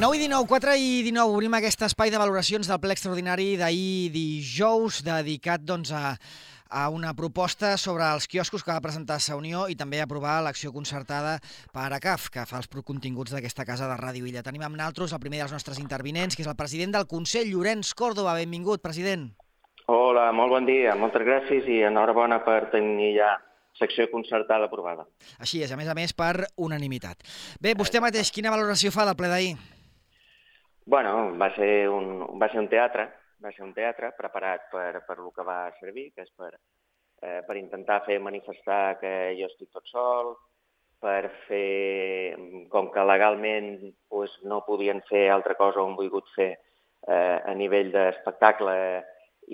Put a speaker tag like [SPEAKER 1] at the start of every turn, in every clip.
[SPEAKER 1] 9 i 19, 4 i 19, obrim aquest espai de valoracions del ple extraordinari d'ahir dijous, dedicat a una proposta sobre els quioscos que va presentar Sa Unió i també aprovar l'acció concertada per ACAF, que fa els continguts d'aquesta casa de Ràdio Illa. Tenim amb nosaltres el primer dels nostres intervinents, que és el president del Consell, Llorenç Córdoba. Benvingut, president.
[SPEAKER 2] Hola, molt bon dia, moltes gràcies i enhorabona per tenir ja secció concertada aprovada.
[SPEAKER 1] Així és, a més, per unanimitat. Bé, vostè mateix, quina valoració fa del ple d'ahir?
[SPEAKER 2] Bueno, va ser un teatre preparat per el que va servir, que és per intentar fer manifestar que jo estic tot sol, per fer, com que legalment no podien fer altra cosa o han volgut fer a nivell d'espectacle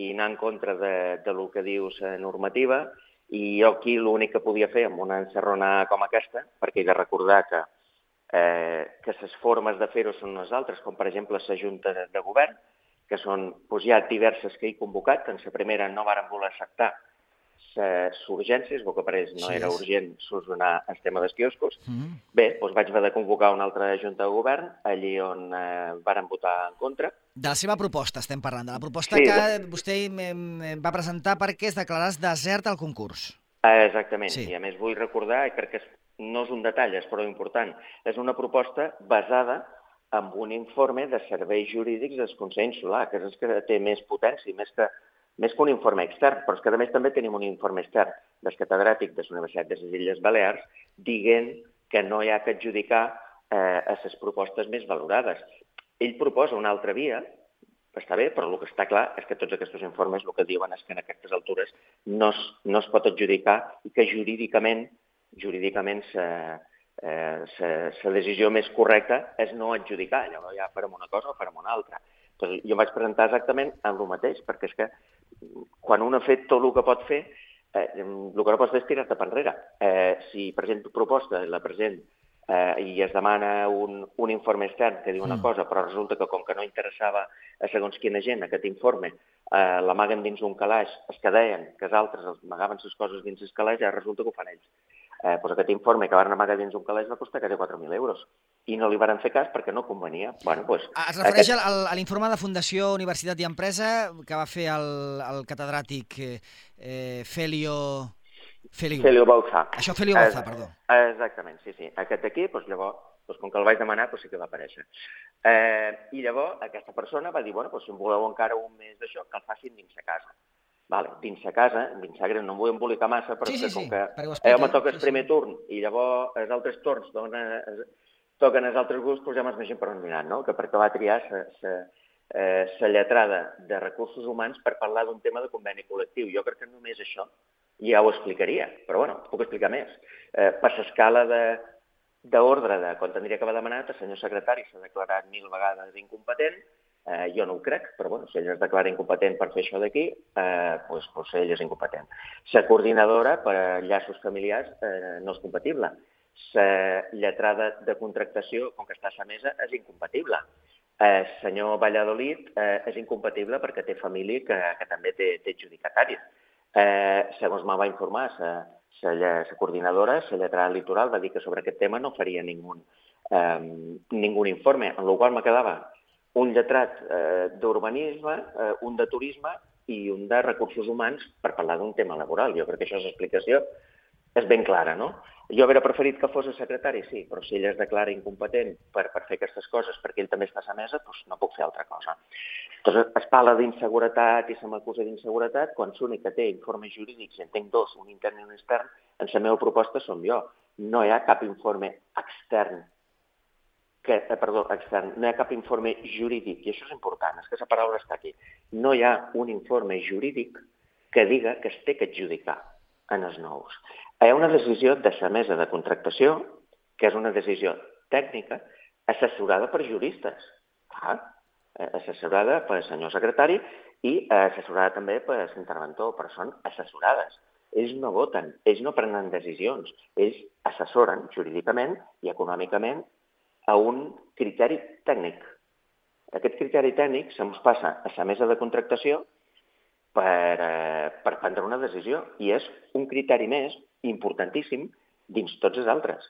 [SPEAKER 2] i anar en contra del que diu la normativa, i jo aquí l'únic que podia fer amb una encerrona com aquesta, perquè he de recordar que les formes de fer-ho són unes altres, com per exemple la Junta de Govern, que són hi ha diverses que he convocat, que en la primera no varen voler acceptar les urgències, el que pareix no era urgent solucionar el tema dels quioscos. Bé, vaig haver de convocar una altra Junta de Govern, allí on varen votar en contra.
[SPEAKER 1] De la seva proposta estem parlant, de la proposta que vostè va presentar perquè es declarés desert al concurs.
[SPEAKER 2] Exactament, i a més vull recordar, i crec que no és un detall, és prou important, és una proposta basada en un informe de serveis jurídics del Consell Insular, que és el que té més potència, més que un informe extern, però és que a més també tenim un informe extern del catedràtic de la Universitat de les Illes Balears dient que no hi ha que adjudicar a les propostes més valorades. Ell proposa una altra via, està bé, però el que està clar és que tots aquests informes el que diuen és que en aquestes altures no es pot adjudicar i que jurídicament la decisió més correcta és no adjudicar. Llavors ja farem una cosa o farem una altra. Doncs jo em vaig presentar exactament amb el mateix, perquè és que quan un ha fet tot el que pot fer, el que no pots fer és tirar-te per enrere. Si presento proposta, la present i es demana un informe extern que diu una cosa, però resulta que com que no interessava a segons quina gent aquest informe, l'amaguen dins un calaix, els que deien que els altres amagaven les coses dins el calaix, ja resulta que ho fan ells. Aquest informe que van amagar dins un calaix va costar quasi 4.000 euros i no li van fer cas perquè no convenia.
[SPEAKER 1] Es refereix a l'informe de Fundació Universitat i Empresa que va fer el catedràtic Felio
[SPEAKER 2] Bauza.
[SPEAKER 1] Això, Felio Bauza, perdó.
[SPEAKER 2] Exactament, sí. Aquest aquí, llavors, com que el vaig demanar, sí que va aparèixer. I llavors aquesta persona va dir, si em voleu encara un mes d'això, que el facin dins de casa. Dins de casa, dins de greu, no em vull embolicar massa, però com que me toca el primer turn i llavors els altres torns toquen els altres grups, ja m'imagino per on aniran, no? Que perquè va triar la lletrada de recursos humans per parlar d'un tema de conveni col·lectiu. Jo crec que només això ja ho explicaria, però puc explicar més. Per l'escala d'ordre de quan tindria que haver demanat, el senyor secretari s'ha declarat 1000 vegades incompetent. Jo no ho crec, però si ell es declara incompetent per fer això d'aquí, doncs ell és incompetent. La coordinadora per a llaços familiars no és compatible. La lletrada de contractació, com que està a la mesa, és incompatible. El senyor Valladolid és incompatible perquè té família que també té adjudicataris. Segons me va informar la coordinadora, la lletrada litoral va dir que sobre aquest tema no faria ningú informe, en el qual me quedava un lletrat d'urbanisme, un de turisme i un de recursos humans per parlar d'un tema laboral. Jo crec que això l'explicació és ben clara, no? Jo hauria preferit que fos el secretari, sí, però si ell es declara incompetent per fer aquestes coses perquè ell també està a la mesa, doncs no puc fer altra cosa. Llavors es parla d'inseguretat i se m'acusa d'inseguretat quan l'únic que té informes jurídics, en tinc dos, un intern i un extern, en la meva proposta som jo. No hi ha cap informe extern, no hi ha cap informe jurídic, i això és important, és que la paraula està aquí. No hi ha un informe jurídic que diga que es té que adjudicar en els nous. Hi ha una decisió de la mesa de contractació, que és una decisió tècnica, assessorada per juristes, assessorada pel senyor secretari i assessorada també per l'interventor, però són assessorades. Ells no voten, ells no prenen decisions, ells assessoren jurídicament i econòmicament a un criteri tècnic. Aquest criteri tècnic se'ns passa a la mesa de contractació per prendre una decisió i és un criteri més importantíssim dins tots els altres.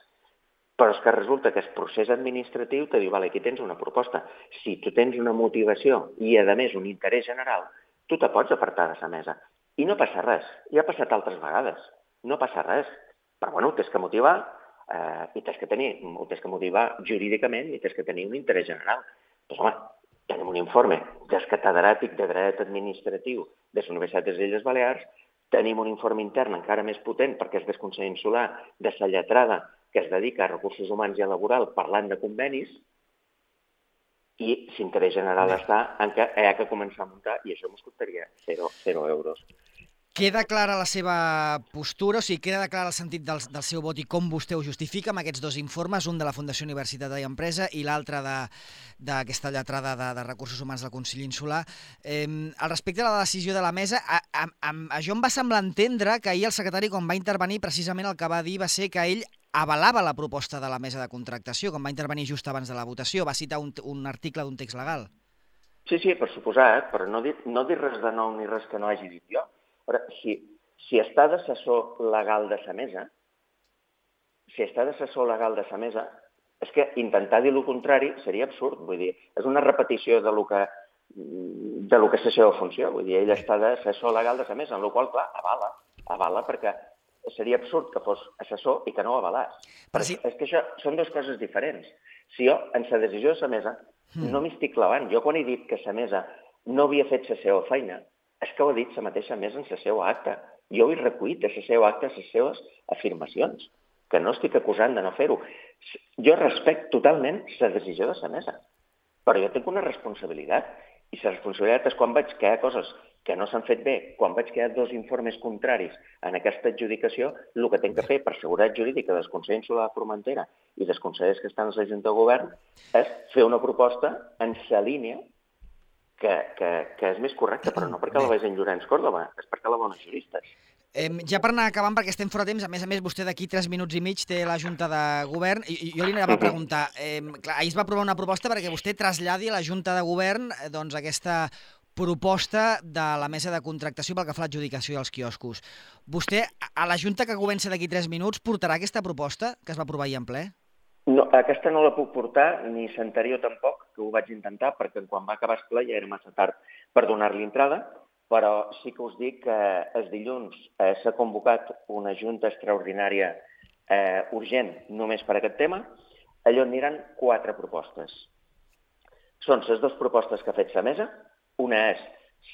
[SPEAKER 2] Però és que resulta que el procés administratiu te diu, vale, aquí tens una proposta. Si tu tens una motivació i, a més, un interès general, tu te pots apartar de la mesa. I no passa res. Ja ha passat altres vegades. No passa res. Però, bueno, tens que motivar i tens que motivar jurídicament i tens que tenir un interès general. Doncs, home, tenim un informe del catedràtic de dret administratiu de la Universitat de les Illes Balears, tenim un informe intern encara més potent perquè és del Consell Insular de la lletrada que es dedica a recursos humans i a laboral parlant de convenis, i l'interès general està en què hi ha que començar a muntar i això ens costaria 0 euros.
[SPEAKER 1] Queda clara la seva postura, o sigui, queda clar el sentit del seu vot i com vostè ho justifica amb aquests dos informes, un de la Fundació Universitat i Empresa i l'altre d'aquesta lletrada de recursos humans del Consell Insular. Al respecte de la decisió de la mesa, això em va semblar entendre que ahir el secretari, quan va intervenir, precisament el que va dir va ser que ell avalava la proposta de la mesa de contractació, quan va intervenir just abans de la votació, va citar un article d'un text legal.
[SPEAKER 2] Sí, per suposat, però no dir res de nou ni res que no hagi dit jo. Si està d'assessor legal de la mesa, és que intentar dir el contrari seria absurd. Vull dir, és una repetició de lo que és la seva funció. Vull dir, ell està d'assessor legal de la mesa, en la qual, clar, avala perquè seria absurd que fos assessor i que no ho avalàs. Però sí. És que això són dues coses diferents. Si jo, en la decisió de la mesa, no m'hi estic clavant. Jo, quan he dit que la mesa no havia fet la seva feina, és que ho ha dit la mateixa mesa en la seva acta. Jo ho he recollit de la seva acta les seves afirmacions, que no estic acusant de no fer-ho. Jo respecto totalment la decisió de la mesa, però jo tinc una responsabilitat, i la responsabilitat és quan veig que hi ha coses que no s'han fet bé, quan veig que hi ha dos informes contraris en aquesta adjudicació, el que tinc que fer per seguretat jurídica del Consell Insular de Formentera i dels consellers que estan a la Junta de Govern és fer una proposta en la línia que és més correcta, però no perquè la vegi en Llorenç Córdoba, és perquè la bona juristes.
[SPEAKER 1] Ja per anar acabant, perquè estem fora de temps, a més vostè d'aquí 3 minuts i mig té la Junta de Govern, i jo li anava a preguntar, clar, ahir es va aprovar una proposta perquè vostè traslladi a la Junta de Govern doncs, aquesta proposta de la mesa de contractació pel que fa a l'adjudicació dels quioscos. Vostè, a la Junta que comença d'aquí 3 minuts, portarà aquesta proposta que es va aprovar ahir en ple?
[SPEAKER 2] No, aquesta no la puc portar, ni l'anterior tampoc, que ho vaig intentar, perquè quan va acabar el ple ja era massa tard per donar-li entrada, però sí que us dic que el dilluns s'ha convocat una junta extraordinària urgent només per aquest tema. Allò aniran 4 propostes. Són les 2 propostes que ha fet la mesa. Una és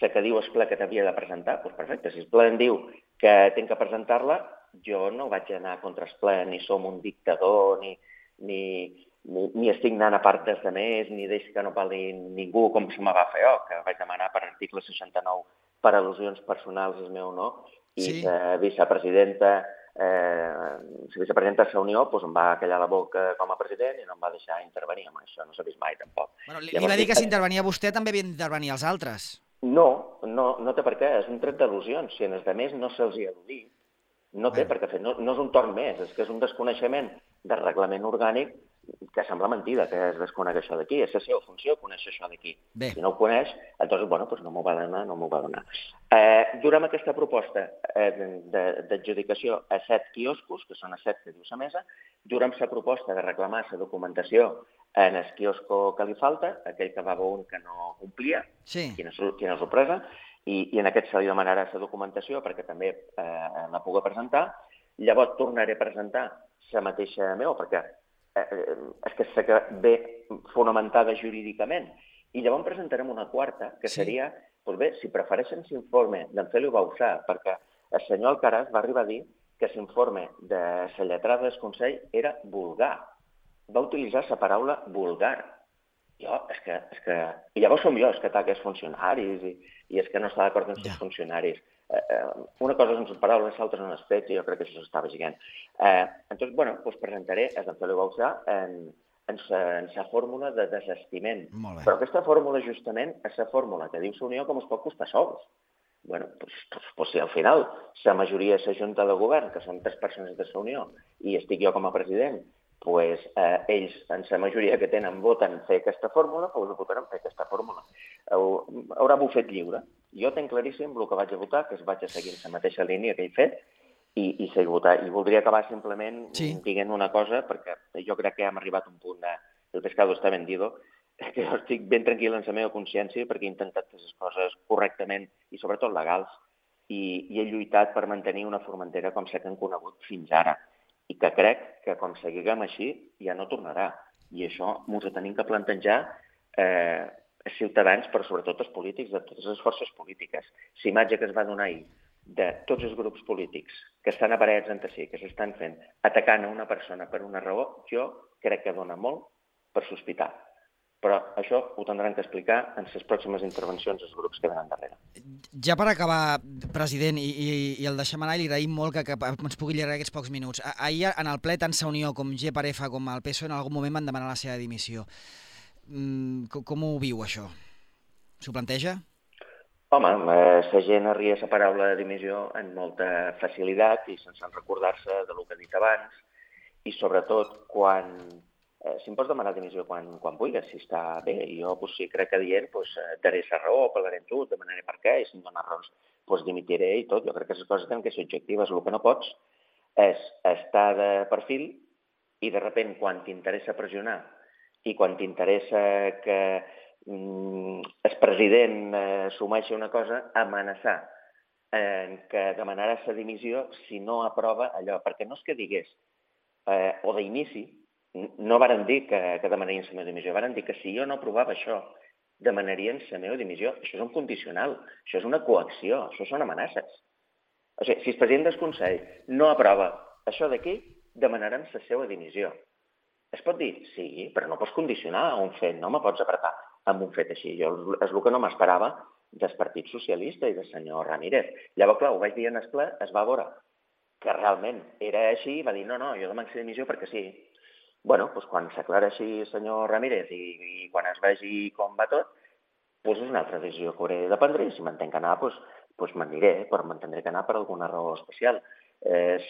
[SPEAKER 2] la que diu el ple que t'havia de presentar. Doncs perfecte, si el ple em diu que tinc que presentar-la, jo no vaig anar contra el ple, ni som un dictador, ni estic anant a part dels altres, ni deixo que no parli ningú, com se me va fer jo, que vaig demanar per article 69 per al·lusions personals el meu no, i la vicepresidenta de la Unió em va callar la boca com a president i no em va deixar intervenir amb això, no s'ha vist mai tampoc.
[SPEAKER 1] Li va dir que si intervenia vostè també havien d'intervenir els altres.
[SPEAKER 2] No té per què, és un tret d'al·lusions. Si en els altres no se'ls hi ha al·ludit, no té per què fer, no és un torn més, és que és un desconeixement del reglament orgànic que sembla mentida que es desconegui això d'aquí. És la seva funció conèixer això d'aquí. Si no ho coneix, doncs no m'ho va donar, Durem aquesta proposta d'adjudicació a 7 quioscos, que són a 7 que diu la mesa, durem la proposta de reclamar la documentació en el quiosco que li falta, aquell que va veure que no complia, quina sorpresa, i en aquest se li demanarà la documentació perquè també la pugui presentar. Llavors tornaré a presentar la mateixa meva, perquè és que sé ve fonamentada jurídicament. I llavors presentarem una quarta, que seria, doncs bé, si prefereixen l'informe d'en Félix Bauzá, perquè el senyor Alcaraz va arribar a dir que l'informe de la lletrada del Consell era vulgar. Va utilitzar la paraula vulgar. És que... I llavors som jo els que ataca els funcionaris i és que no està d'acord amb els funcionaris. Una cosa són les paraules, l'altra són els fets, i jo crec que això s'estava llegint. Doncs presentaré a en Félix Bauzá en la fórmula de desestiment. Però aquesta fórmula, justament, és la fórmula que diu la Unió com es pot costar sols. Doncs si al final la majoria de la Junta de Govern, que són 3 persones de la Unió, i estic jo com a president, doncs ells, en la majoria que tenen, voten fer aquesta fórmula, doncs votaran fer aquesta fórmula. Haurà bufet lliure. Jo tinc claríssim el que vaig a votar, que es vaig a seguir en la mateixa línia que he fet, i seguir votant. I voldria acabar simplement dient una cosa, perquè jo crec que hem arribat a un punt de el pescado está vendido, que jo estic ben tranquil en la meva consciència perquè he intentat fer les coses correctament i sobretot legals i he lluitat per mantenir una Formentera com sé que hem conegut fins ara i que crec que com seguiguem així ja no tornarà. I això ens ho tenim que plantejar els ciutadans, però sobretot els polítics, de totes les forces polítiques. La imatge que es va donar ahir de tots els grups polítics que estan aparellats entre si, que s'estan fent, atacant a una persona per una raó, jo crec que dona molt per sospitar. Però això ho tindran que explicar en les pròximes intervencions dels grups que venen darrere.
[SPEAKER 1] Ja per acabar, president, i el deixem anar, i li agraïm molt que ens pugui allargar aquests pocs minuts. Ahir, en el ple, tant Sa Unió com GPRF com el PSOE en algun moment van demanar la seva dimissió. Com ho viu, això? S'ho planteja?
[SPEAKER 2] Home, la gent arria la paraula de dimissió amb molta facilitat i sense recordar-se del que he dit abans i sobretot quan si em pots demanar dimissió quan vulguis, si està bé. Jo si crec que dient daré la raó, parlaré amb tu, demanaré per què i si em dones raons dimitiré i tot. Jo crec que les coses tenen que ser objectives. El que no pots és estar de perfil i de sobte quan t'interessa pressionar i quan t'interessa que el president assumeixi una cosa, amenaçar que demanarà la dimissió si no aprova allò. Perquè no és que digués, o d'inici, no varen dir que demanarien la meva dimissió, varen dir que si jo no aprovava això, demanarien la meva dimissió. Això és un condicional, això és una coacció, això són amenaces. O sigui, si el president del Consell no aprova això d'aquí, demanaran la seva dimissió. Es pot dir? Sí, però no pots condicionar a un fet, no me pots apretar amb un fet així. Jo és el que no m'esperava del Partit Socialista i del senyor Ramírez. Llavors, clar, ho vaig dir en el ple, es va veure que realment era així i va dir no, jo demano la dimissió perquè sí. Bueno, quan s'aclara així el senyor Ramírez i quan es vegi com va tot, és una altra decisió que hauré de prendre i si m'entenc que anar, m'aniré, però m'entendré que anar per alguna raó especial.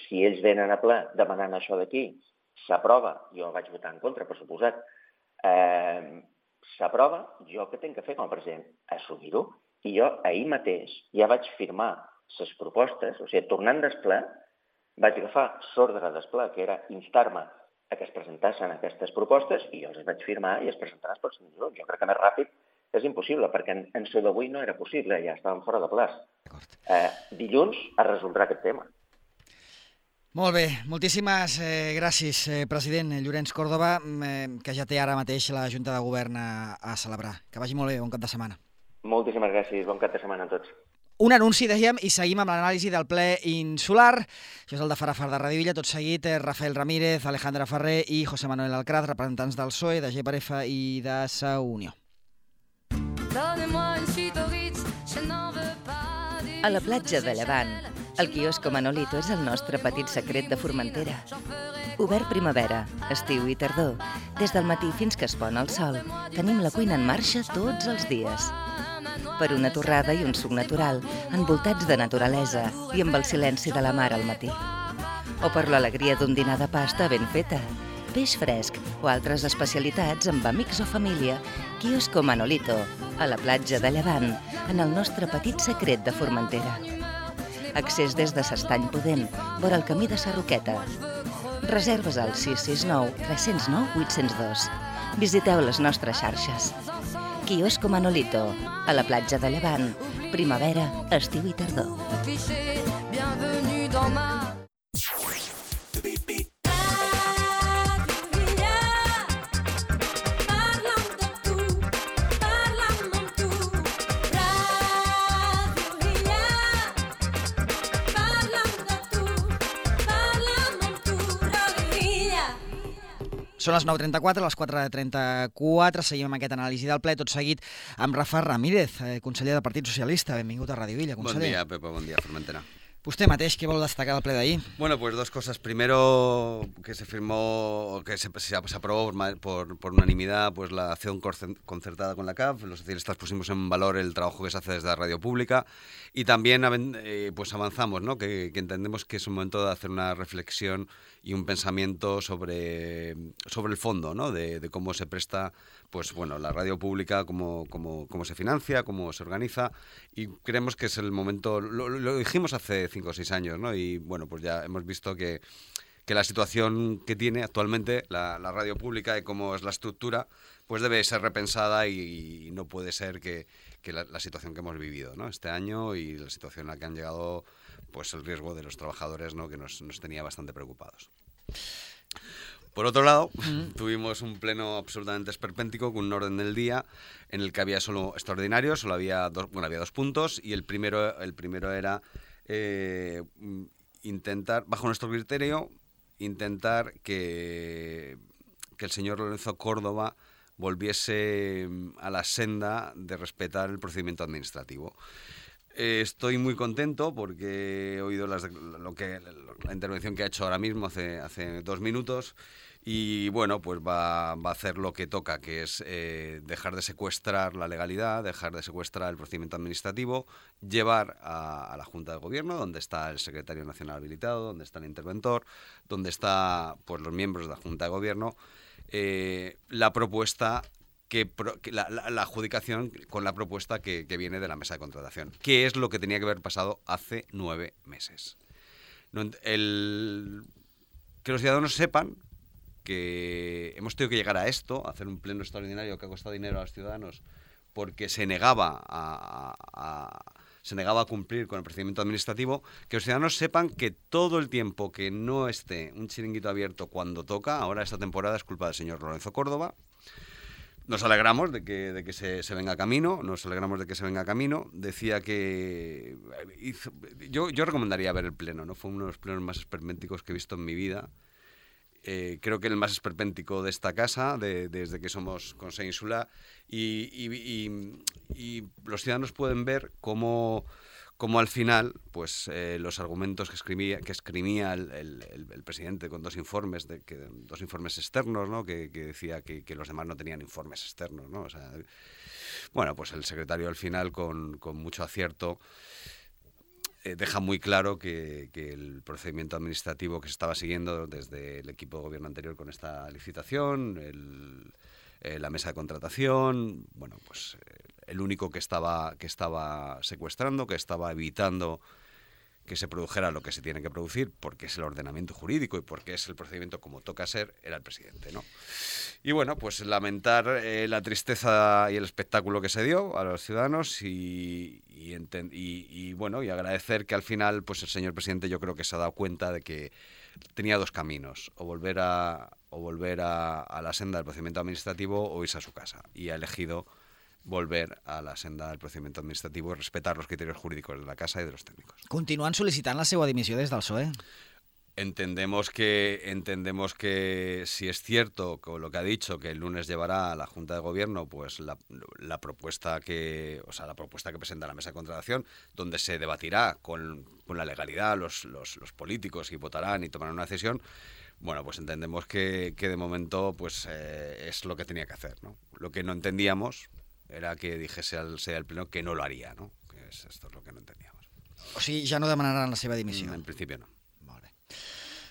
[SPEAKER 2] Si ells venen a ple demanant això d'aquí, s'aprova, jo vaig votar en contra, per suposat, s'aprova, jo què tinc que fer com a president? Assumir-ho. I jo ahir mateix ja vaig firmar les propostes, o sigui, tornant del ple, vaig agafar l'ordre del ple, que era instar-me a que es presentassin aquestes propostes i jo les vaig firmar i es presentaran els pròxims dies. Jo crec que més ràpid és impossible, perquè en el d'avui no era possible, ja estàvem fora de plaç. Dilluns es resoldrà aquest tema.
[SPEAKER 1] Molt bé, moltíssimes gràcies, president Llorenç Córdoba, que ja té ara mateix la Junta de Govern a celebrar. Que vagi molt bé, bon cap de setmana.
[SPEAKER 2] Moltíssimes gràcies, bon cap de setmana a tots.
[SPEAKER 1] Un anunci, dèiem, i seguim amb l'anàlisi del ple insular. Això és el de Farafar de Ràdio Villa. Tot seguit, Rafael Ramírez, Alejandra Ferrer i José Manuel Alcaraz, representants del PSOE, de GPRF i de Sa Unió.
[SPEAKER 3] A la platja de Llevant, el quiosco Manolito és el nostre petit secret de Formentera. Obert primavera, estiu i tardor. Des del matí fins que es pon el sol, tenim la cuina en marxa tots els dies. Per una torrada i un suc natural, envoltats de naturalesa i amb el silenci de la mar al matí. O per l'alegria d'un dinar de pasta ben feta, peix fresc o altres especialitats amb amics o família, quiosco Manolito, a la platja de Llevant, en el nostre petit secret de Formentera. Accés des de s'Estany Pudent, vora el camí de Sarroqueta. Reserves al 669 309 802. Visiteu les nostres xarxes. Quiosco Manolito, a la platja de Llevant, primavera, estiu i tardor.
[SPEAKER 1] Són les 9:34, les 4:34, seguim amb aquest anàlisi del ple, tot seguit amb Rafa Ramírez, conseller del Partit Socialista. Benvingut a Ràdio Villa, conseller.
[SPEAKER 4] Bon dia, Pepa, bon dia, Formentera.
[SPEAKER 1] Usted mateix, ¿qué vol destacar del ple de ahí?
[SPEAKER 4] Bueno, pues dos cosas. Primero, que se firmó, que se aprobó por unanimidad pues la acción concertada con la CAF. Los socialistas pusimos en valor el trabajo que se hace desde la radio pública y también pues avanzamos, ¿no? Que entendemos que es un momento de hacer una reflexión y un pensamiento sobre el fondo, ¿no? De cómo se presta pues bueno, la radio pública, cómo se financia, cómo se organiza, y creemos que es el momento, lo dijimos hace 5 o 6 años, ¿no? Y bueno, pues ya hemos visto que la situación que tiene actualmente la radio pública y cómo es la estructura, pues debe ser repensada y no puede ser que la situación que hemos vivido, ¿no? Este año y la situación a la que han llegado, pues el riesgo de los trabajadores, ¿no? Que nos tenía bastante preocupados. Por otro lado, tuvimos un pleno absolutamente esperpéntico con un orden del día en el que había solo extraordinarios, solo había dos puntos, y el primero era intentar, bajo nuestro criterio, intentar que el señor Lorenzo Córdoba volviese a la senda de respetar el procedimiento administrativo. Estoy muy contento porque he oído la intervención que ha hecho ahora mismo, hace 2 minutos, y bueno, pues va a hacer lo que toca, que es dejar de secuestrar la legalidad, dejar de secuestrar el procedimiento administrativo, llevar a la Junta de Gobierno, donde está el secretario nacional habilitado, donde está el interventor, donde están pues, los miembros de la Junta de Gobierno, la propuesta la adjudicación con la propuesta que viene de la mesa de contratación, que es lo que tenía que haber pasado hace 9 meses. Que los ciudadanos sepan que hemos tenido que llegar a esto, a hacer un pleno extraordinario que ha costado dinero a los ciudadanos porque se negaba a cumplir con el procedimiento administrativo, que los ciudadanos sepan que todo el tiempo que no esté un chiringuito abierto cuando toca, ahora esta temporada es culpa del señor Lorenzo Córdoba. Nos alegramos de que se venga a camino, Decía que... Yo recomendaría ver el pleno, ¿no? Fue uno de los plenos más esperpénticos que he visto en mi vida. Creo que el más esperpéntico de esta casa, desde que somos Consell Insular, y los ciudadanos pueden ver cómo al final, pues los argumentos que esgrimía el presidente con 2 informes, 2 informes externos, ¿no? que decía que los demás no tenían informes externos, ¿no? O sea, bueno, pues el secretario al final con mucho acierto deja muy claro que el procedimiento administrativo que se estaba siguiendo desde el equipo de gobierno anterior con esta licitación, la mesa de contratación, bueno, pues el único que estaba secuestrando, que estaba evitando que se produjera lo que se tiene que producir, porque es el ordenamiento jurídico y porque es el procedimiento como toca ser, era el presidente, ¿no? Y bueno, pues lamentar la tristeza y el espectáculo que se dio a los ciudadanos y agradecer que al final, pues el señor presidente yo creo que se ha dado cuenta de que tenía 2 caminos, o volver a la senda del procedimiento administrativo o irse a su casa, y ha elegido volver a la senda del procedimiento administrativo y respetar los criterios jurídicos de la Casa y de los técnicos.
[SPEAKER 1] Continuen sol·licitant la seva dimissió des del PSOE.
[SPEAKER 4] Entendemos que si es cierto con lo que ha dicho, que el lunes llevará a la Junta de Gobierno pues la propuesta que presenta la mesa de contratación, donde se debatirá con la legalidad los políticos y votarán y tomarán una decisión. Bueno, pues entendemos que de momento pues es lo que tenía que hacer, ¿no? Lo que no entendíamos era que dijese al Pleno que no lo haría, ¿no? Esto es lo que no entendíamos.
[SPEAKER 1] O sigui, ja no demanaran la seva dimissió.
[SPEAKER 4] En principio no.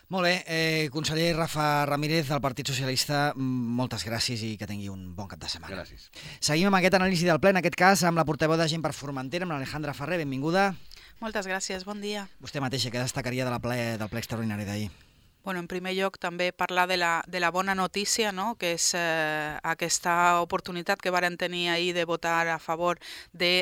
[SPEAKER 1] Molt bé. Conseller Rafa Ramírez, del Partit Socialista, moltes gràcies i que tingui un bon cap de setmana.
[SPEAKER 4] Gràcies.
[SPEAKER 1] Seguim amb aquest anàlisi del ple, en aquest cas amb la portaveu de Gent per Formentera, amb l'Alejandra Ferrer. Benvinguda.
[SPEAKER 5] Moltes gràcies, bon dia.
[SPEAKER 1] Vostè mateixa, què destacaria del ple extraordinari d'ahir?
[SPEAKER 5] Bueno, en primer lloc, també parlar de la bona notícia, no? Que és aquesta oportunitat que varen tenir ahir de votar a favor de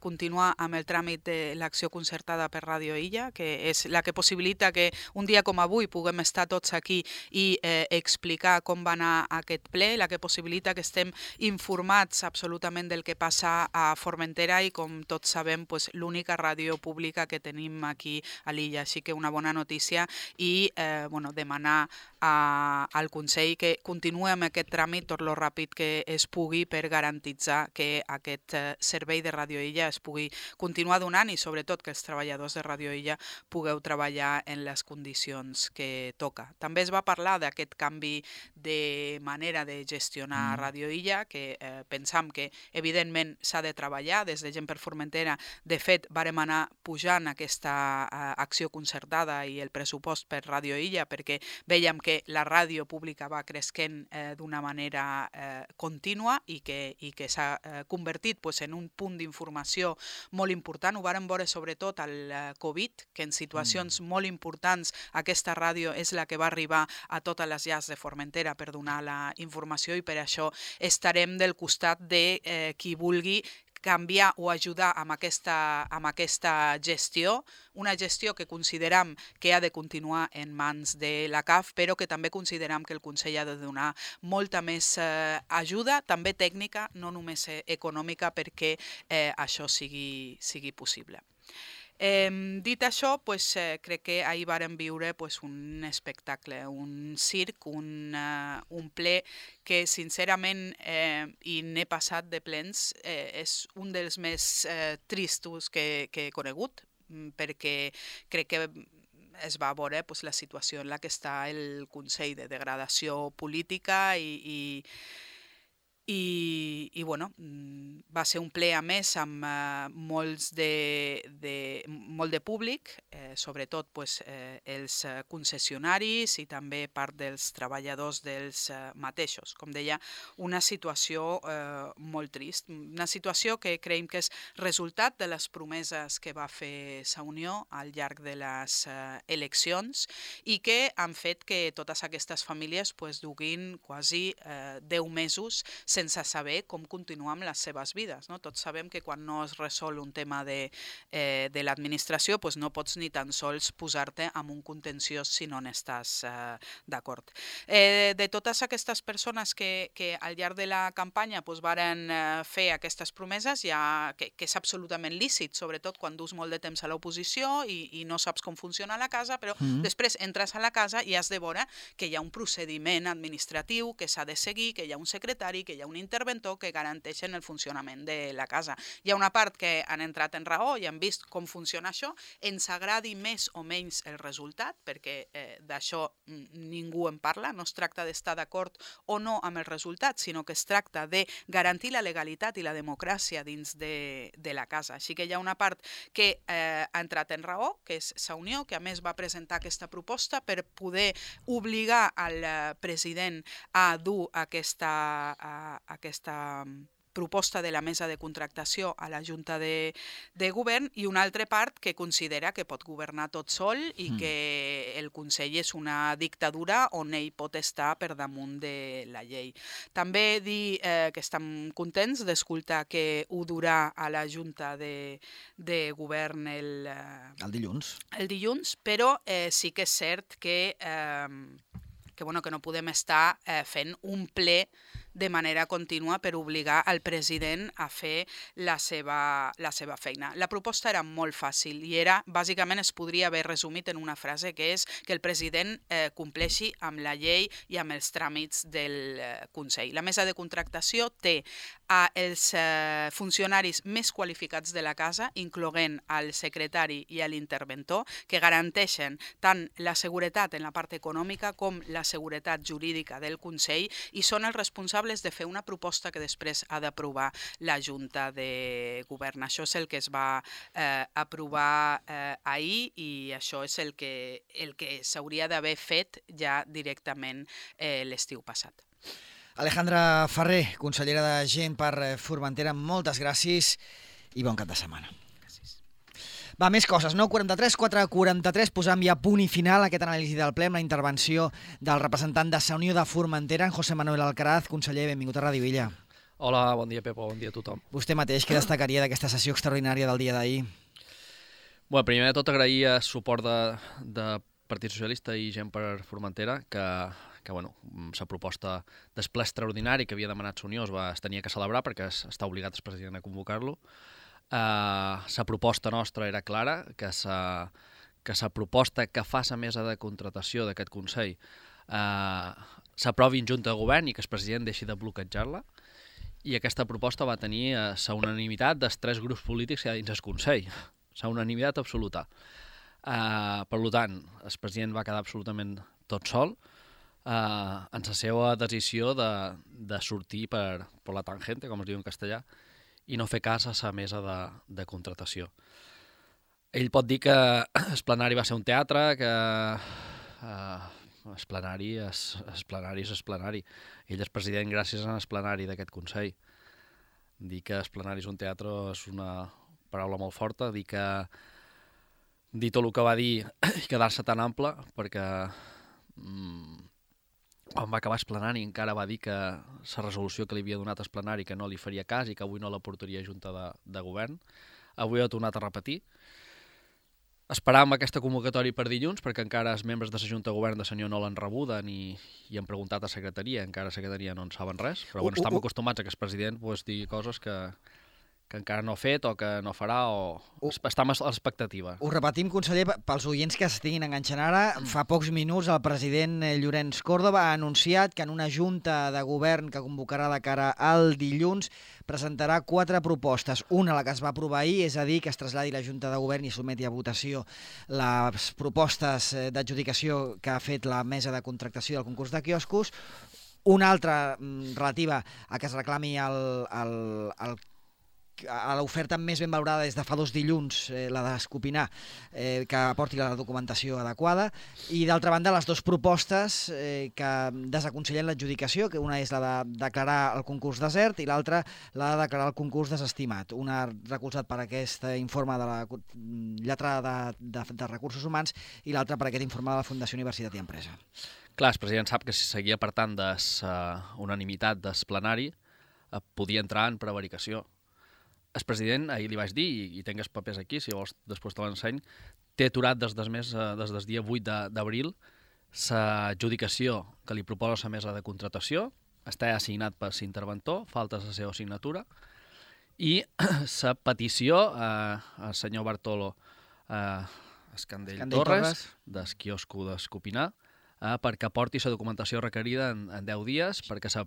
[SPEAKER 5] continuar amb el tràmit de l'acció concertada per Ràdio Illa, que és la que possibilita que un dia com avui puguem estar tots aquí i explicar com va anar aquest ple, la que possibilita que estem informats absolutament del que passa a Formentera i, com tots sabem, pues, l'única ràdio pública que tenim aquí a l'illa. Així que una bona notícia i demanar al Consell que continuï amb aquest tràmit tot lo ràpid que es pugui per garantitzar que aquest servei de Ràdio Illa es pugui continuar donant i sobretot que els treballadors de Ràdio Illa pugueu treballar en les condicions que toca. També es va parlar d'aquest canvi de manera de gestionar Ràdio Illa, que pensam que evidentment s'ha de treballar. Des de Gent per Formentera, de fet, vàrem anar pujant aquesta acció concertada i el pressupost per Ràdio Illa feia, perquè veiem que la ràdio pública va creixent d'una manera contínua i que s'ha convertit en un punt d'informació molt important. Ho vàrem veure sobretot al Covid, que en situacions molt importants aquesta ràdio és la que va arribar a totes les llars de Formentera per donar la informació, i per això estarem del costat de qui vulgui canviar o ajudar amb aquesta gestió, una gestió que considerem que ha de continuar en mans de la CAF, però que també considerem que el Consell ha de donar molta més ajuda, també tècnica, no només econòmica, perquè això sigui possible. Dit això, crec que ahir vàrem viure un espectacle, un circ, un ple que sincerament, i n'he passat de plens, és un dels més tristos que he conegut, perquè crec que es va veure la situació en la que està el Consell, de degradació política i bueno, va ser un ple a més amb molt de públic, sobretot els concessionaris i també part dels treballadors dels mateixos. Com deia, una situació molt trist, una situació que creiem que és resultat de les promeses que va fer Sa Unió al llarg de les eleccions i que han fet que totes aquestes famílies duguin quasi 10 mesos sense saber com continuar amb les seves vides. Tots sabem que quan no es resol un tema de l'administració no pots ni tan sols posar-te en un contenciós si no n'estàs d'acord. De totes aquestes persones que al llarg de la campanya varen fer aquestes promeses, que és absolutament lícit, sobretot quan dus molt de temps a l'oposició i no saps com funciona la casa, però després entres a la casa i has de veure que hi ha un procediment administratiu que s'ha de seguir, que hi ha un secretari, que hi ha un interventor que garanteixen el funcionament de la casa. Hi ha una part que han entrat en raó i han vist com funciona això, ens agradi més o menys el resultat, perquè d'això ningú en parla, no es tracta d'estar d'acord o no amb el resultat, sinó que es tracta de garantir la legalitat i la democràcia dins de la casa. Així que hi ha una part que ha entrat en raó, que és Sa Unió, que a més va presentar aquesta proposta per poder obligar al president a dur aquesta proposta de la mesa de contractació a la Junta de Govern, i una altra part que considera que pot governar tot sol i que el Consell és una dictadura on ell pot estar per damunt de la llei. També dir que estem contents d'escoltar que ho durà a la Junta de Govern el dilluns, però sí que és cert que no podem estar fent un ple de manera contínua per obligar el president a fer la seva feina. La proposta era molt fàcil i bàsicament es podria haver resumit en una frase, que és que el president compleixi amb la llei i amb els tràmits del Consell. La mesa de contractació té els funcionaris més qualificats de la casa, incloent el secretari i l'interventor, que garanteixen tant la seguretat en la part econòmica com la seguretat jurídica del Consell, i són els responsables de fer una proposta que després ha d'aprovar la Junta de Govern. Això és el que es va aprovar ahir i això és el que s'hauria d'haver fet ja directament l'estiu passat.
[SPEAKER 1] Alejandra Ferrer, consellera de Gent per Formentera, moltes gràcies i bon cap de setmana. Va, més coses, 9:43, 4:43, posam ja punt i final a aquest anàlisi del ple amb la intervenció del representant de Sa Unió de Formentera, en José Manuel Alcaraz. Conseller, benvingut a Ràdio Villa.
[SPEAKER 6] Hola, bon dia, Pepo, bon dia a tothom.
[SPEAKER 1] Vostè mateix, què destacaria d'aquesta sessió extraordinària del dia d'ahir?
[SPEAKER 6] Bé, primer de tot agrair el suport de Partit Socialista i Gent per Formentera, que la proposta del ple extraordinari que havia demanat Sa Unió es tenia que celebrar perquè està obligat el president a convocar-lo. La proposta nostra era clara, que la proposta que fa la mesa de contratació d'aquest Consell s'aprovi en Junta de Govern i que el president deixi de bloquejar-la, i aquesta proposta va tenir la unanimitat dels 3 grups polítics que hi ha dins el Consell, la unanimitat absoluta. Per tant, el president va quedar absolutament tot sol en la seva decisió de sortir per la tangente, com es diu en castellà, i no fer cas a la mesa de contratació. Ell pot dir que el plenari va ser un teatre, que el plenari és plenari. Ell és president gràcies al plenari d'aquest Consell. Dir que el plenari és un teatre és una paraula molt forta, dir tot el que va dir i quedar-se tan ample, perquè quan va acabar el plenari encara va dir que la resolució que li havia donat el plenari que no li faria cas i que avui no la portaria a Junta de Govern. Avui ha tornat a repetir. Esperàvem aquesta convocatòria per dilluns perquè encara els membres de la Junta de Govern de senyor no l'han rebuda ni han preguntat a secretaria, encara a secretaria no en saben res, però bueno, estem acostumats a que el president digui coses que encara no ha fet o que no farà o estem a l'expectativa.
[SPEAKER 1] Ho repetim, conseller, pels oients que s'estiguin enganxant ara. Fa pocs minuts el president Llorenç Córdoba ha anunciat que en una junta de govern que convocarà de cara al dilluns presentarà 4 propostes. Una, la que es va aprovar ahir, és a dir, que es traslladi la junta de govern i sotmeti a votació les propostes d'adjudicació que ha fet la mesa de contractació del concurs de quioscos. Una altra relativa a que es reclami a l'oferta més ben valorada des de fa 2 dilluns, la d'Escopinar, que aporti la documentació adequada, i d'altra banda les 2 propostes que desaconsellen l'adjudicació, que una és la de declarar el concurs desert i l'altra la de declarar el concurs desestimat. Una recolzat per aquest informe de la lletrada de Recursos Humans i l'altra per aquest informe de la Fundació Universitat i Empresa.
[SPEAKER 6] Clar, el president sap que si seguia per tant de unanimitat del plenari podia entrar en prevaricació. El president, ahir li vaig dir, i tinc els papers aquí, si vols després te l'enseny, té aturat des del dia 8 d'abril l'adjudicació que li proposa la mesa de contratació, està assignat per l'interventor, falta la seva signatura, i la petició al senyor Bartolo Escandell Torres, del quiosco d'Escopinar, perquè aporti la documentació requerida en 10 dies, perquè el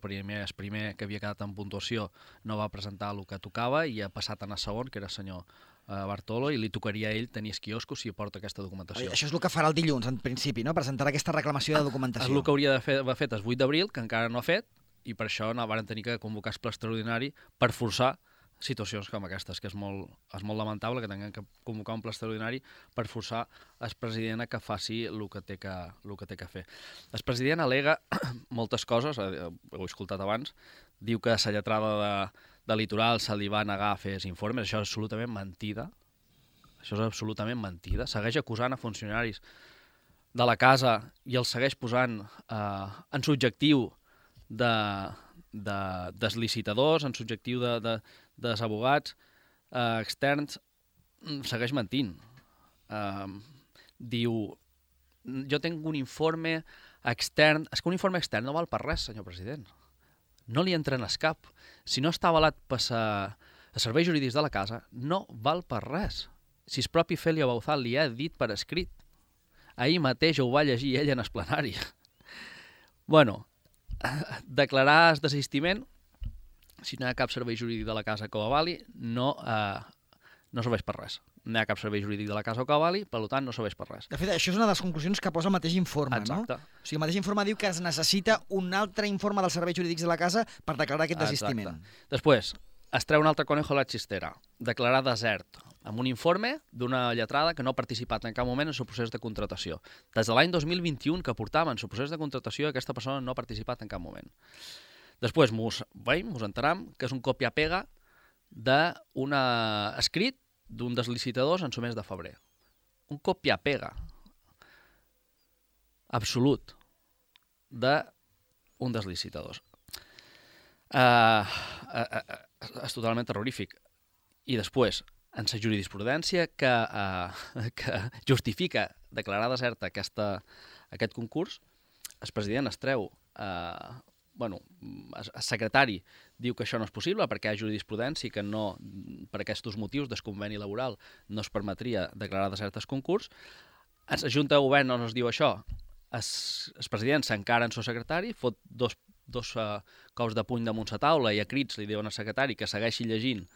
[SPEAKER 6] primer que havia quedat en puntuació no va presentar el que tocava i ha passat a anar segon, que era el senyor Bartolo, i li tocaria a ell tenir el quiosco si aporta aquesta documentació.
[SPEAKER 1] Això és el que farà el dilluns, en principi, no? Presentarà aquesta reclamació de documentació.
[SPEAKER 6] És el que hauria d'haver fet el 8 d'abril, que encara no ha fet, i per això van tenir que convocar el ple extraordinari per forçar situacions com aquestes, que és molt lamentable que tinguem que convocar un ple extraordinari per forçar el president a que faci el que té que fer. El president al·lega moltes coses, ho he escoltat abans, diu que a la lletrada de Litoral se li va negar a fer els informes, això és absolutament mentida, segueix acusant a funcionaris de la casa i els segueix posant en subjectiu dels licitadors, en subjectiu dels abogats externs, segueix mentint. Diu, jo tinc un informe extern, és que un informe extern no val per res, senyor president. No li entra en el cap. Si no està avalat per els serveis jurídics de la casa, no val per res. Si el propi Félio Bauzal li ha dit per escrit. Ahir mateix ho va llegir ell en el plenari. Bueno, declarar el desistiment, si no hi ha cap servei jurídic de la casa que ho avali, no serveix per res. No hi ha cap servei jurídic de la casa que ho avali, per tant, no serveix per res.
[SPEAKER 1] De fet, això és una de les conclusions que posa el mateix informe,
[SPEAKER 6] exacte.
[SPEAKER 1] No? O sigui, el mateix informe diu que es necessita un altre informe dels serveis jurídics de la casa per declarar aquest desistiment.
[SPEAKER 6] Exacte. Després, es treu un altre conejo a la xistera, declarar desert, amb un informe d'una lletrada que no ha participat en cap moment en el procés de contratació. Des de l'any 2021 que portava en el procés de contratació, aquesta persona no ha participat en cap moment. Després mos enteram que és un copia-pega d'un escrit d'un dels licitadors en el mes de febrer. Un copia-pega absolut d'un dels licitadors. És totalment terrorífic. I després, en la jurisprudència que justifica declarar deserta aquest concurs, el president es treu el secretari diu que això no és possible perquè hi ha jurisprudència que no, per aquests motius del conveni laboral no es permetria declarar desert el concurs. La Junta de Govern no ens diu això. El president s'encara en el secretari, fot dos cops de puny damunt la taula i a crits li diuen al secretari que segueixi llegint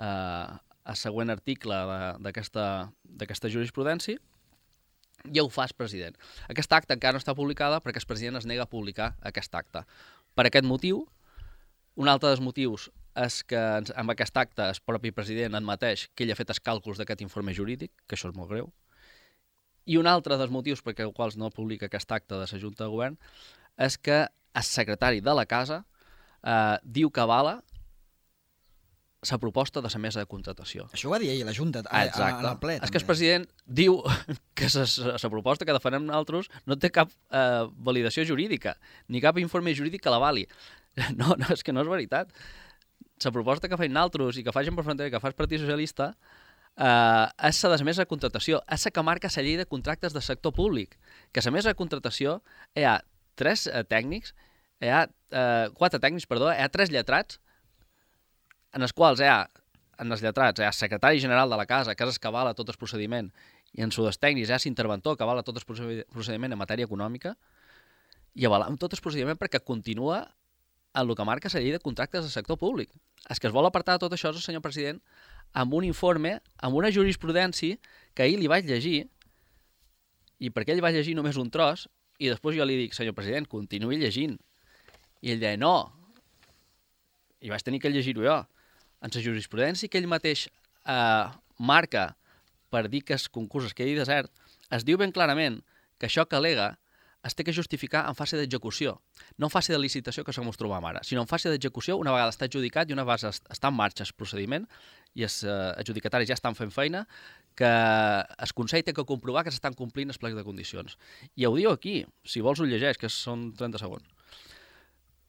[SPEAKER 6] el següent article d'aquesta jurisprudència i ho fa el president. Aquesta acta encara no està publicada perquè el president es nega a publicar aquest acte. Per aquest motiu, un altre dels motius és que amb aquest acte el propi president admeteix que ell ha fet els càlculs d'aquest informe jurídic, que això és molt greu, I un altre dels motius per els quals no publica aquest acte de la Junta de Govern és que el secretari de la Casa diu que avala la proposta de la mesa de contratació.
[SPEAKER 1] Això ho va dir ell a la Junta, en el ple.
[SPEAKER 6] És que el president diu que la proposta que defensem nosaltres no té cap validació jurídica, ni cap informe jurídic que l'avali. No, és que no és veritat. La proposta que feim nosaltres i que fa Gent per Frontera i que fa el Partit Socialista és la de la mesa de contratació, és la que marca la llei de contractes del sector públic, que a la mesa de contratació hi ha 4 tècnics, hi ha 3 lletrats, en els quals en els lletrats hi ha el secretari general de la Casa, que és el que avala tot el procediment, i en els tècnics hi ha l'interventor que avala tot el procediment en matèria econòmica, i avalam tot el procediment perquè continua en el que marca la llei de contractes del sector públic. El que es vol apartar de tot això és el senyor president amb un informe, amb una jurisprudència que ahir li vaig llegir, i perquè ell va llegir només un tros, i després jo li dic, senyor president, continuï llegint. I ell deia, no. I vaig tenir que llegir-ho jo. En la jurisprudència que ell mateix marca per dir que el concurs es quedi desert, es diu ben clarament que això que al·lega es té que justificar en fase d'execució. No en fase de licitació, que és com ens trobam ara, sinó en fase d'execució, una vegada està adjudicat i una vegada està en marxa el procediment i els adjudicataris ja estan fent feina, que el Consell té que comprovar que s'estan complint els plecs de condicions. I ho diu aquí, si vols ho llegeix, que són 30 segons.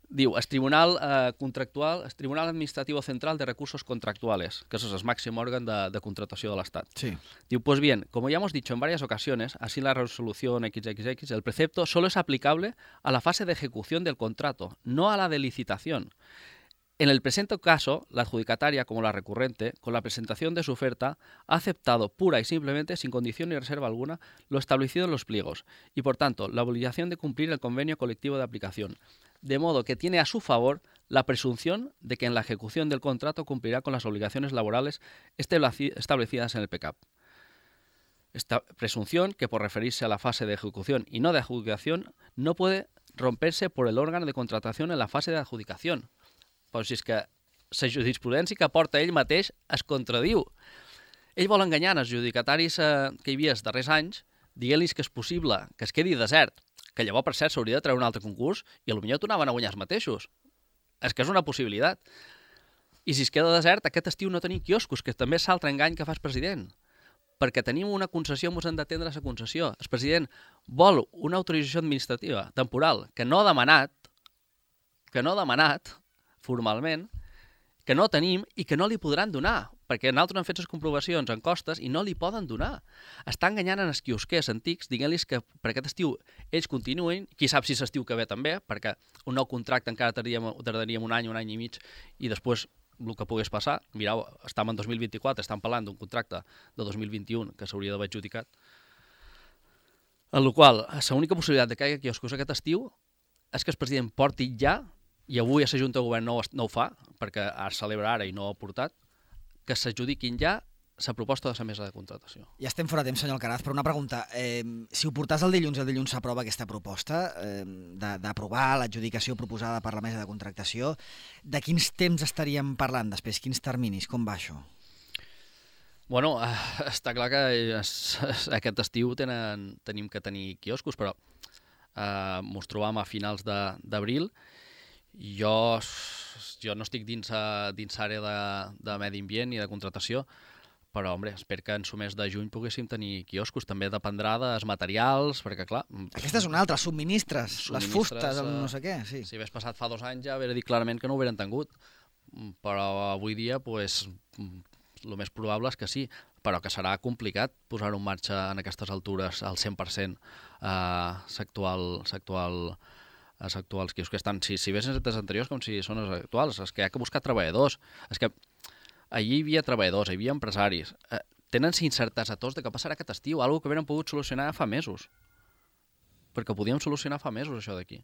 [SPEAKER 6] Diu, el Tribunal Contractual, el Tribunal Administrativo Central de Recursos Contractuales, que es el máximo órgano de contratación del Estado.
[SPEAKER 1] Sí.
[SPEAKER 6] Diu, pues bien, como ya hemos dicho en varias ocasiones, así la resolución XXX, el precepto solo es aplicable a la fase de ejecución del contrato, no a la de licitación. En el presente caso, la adjudicataria, como la recurrente, con la presentación de su oferta, ha aceptado pura y simplemente, sin condición ni reserva alguna, lo establecido en los pliegos y, por tanto, la obligación de cumplir el convenio colectivo de aplicación, de modo que tiene a su favor la presunción de que en la ejecución del contrato cumplirá con las obligaciones laborales establecidas en el PCAP. Esta presunción, que por referirse a la fase de ejecución y no de adjudicación, no puede romperse por el órgano de contratación en la fase de adjudicación. Però si és que la jurisprudència que porta ell mateix es contradiu. Ell vol enganyar els adjudicataris que hi havia els darrers anys, dient-los que és possible que es quedi desert, que llavors, per cert, s'hauria de treure un altre concurs i potser tornaven a guanyar els mateixos. És que és una possibilitat. I si es queda desert, aquest estiu no tenim quioscos, que també és l'altre engany que fa el president. Perquè tenim una concessió, ens hem d'atendre la concessió. El president vol una autorització administrativa temporal que no ha demanat formalment, que no tenim i que no li podran donar, perquè nosaltres hem fet les comprovacions en costes i no li poden donar. Està enganyant en els quiosquers antics, dient-los que per aquest estiu ells continuïn, qui sap si l'estiu que ve també, perquè un nou contracte encara tardaríem un any i mig, i després el que pogués passar, mireu, estem en 2024, estem parlant d'un contracte de 2021 que s'hauria d'haver adjudicat, en la qual l'única possibilitat de que hi hagi quioscos aquest estiu és que el president porti ja, i avui a la Junta de Govern no ho fa, perquè es celebra ara i no ho ha portat, que s'adjudiquin ja la proposta de la mesa de contratació.
[SPEAKER 1] Ja estem fora de temps, senyor Alcaraz, però una pregunta. Si ho portàs el dilluns s'aprova aquesta proposta d'aprovar l'adjudicació proposada per la mesa de contractació, de quins temps estaríem parlant després? Quins terminis? Com va això?
[SPEAKER 6] Bueno, està clar que aquest estiu tenim que tenir quioscos, però ens trobam a finals d'abril. Jo no estic dins l'àrea de medi ambient ni de contratació, però, home, espero que en el mes de juny poguéssim tenir quioscos. També dependrà dels materials, perquè, clar...
[SPEAKER 1] Aquesta és una altra, subministres, les fustes, el no sé què, sí.
[SPEAKER 6] Si hagués passat fa 2 anys ja hauria dit clarament que no ho haurien tingut, però avui dia, pues, el més probable és que sí, però que serà complicat posar-ho en marxa en aquestes altures al 100% els actuals quioscs que estan, si bé sense anteriors com si són els actuals, és que hi ha que buscar treballadors, és que allí hi havia treballadors, hi havia empresaris, tenen incerteses a tots de què passarà aquest estiu, alguna que haurien pogut solucionar fa mesos, perquè ho podíem solucionar fa mesos això d'aquí.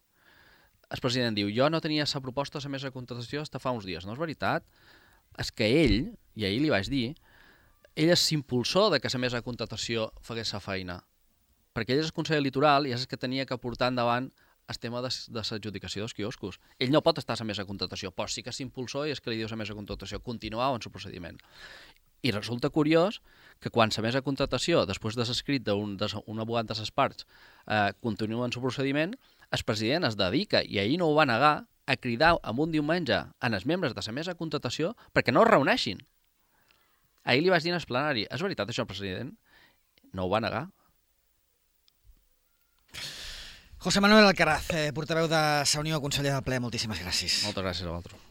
[SPEAKER 6] El president diu, jo no tenia la proposta de la mesa de contratació fins fa uns dies, no és veritat, és que ell, i ahir li vaig dir, ell és l'impulsor de que la mesa de contratació fagués la feina, perquè ell és el Consell Litoral i és el que tenia que portar endavant el tema de l'adjudicació dels quioscos. Ell no pot estar a la mesa de contratació, però sí que és impulsor i és que li diu a la mesa de contratació continuar en el procediment. I resulta curiós que quan la mesa de contratació, després de l'escrit d'un abogat de les parts, continua en el procediment, el president es dedica, i ahir no ho va negar, a cridar en un diumenge en els membres de la mesa de contratació perquè no es reuneixin. Ahir li vaig dir en el plenari, és veritat això, president? No ho va negar.
[SPEAKER 1] José Manuel Alcaraz, portaveu de Sa Unió, conseller del ple, moltíssimes gràcies.
[SPEAKER 6] Moltes gràcies a vosaltres.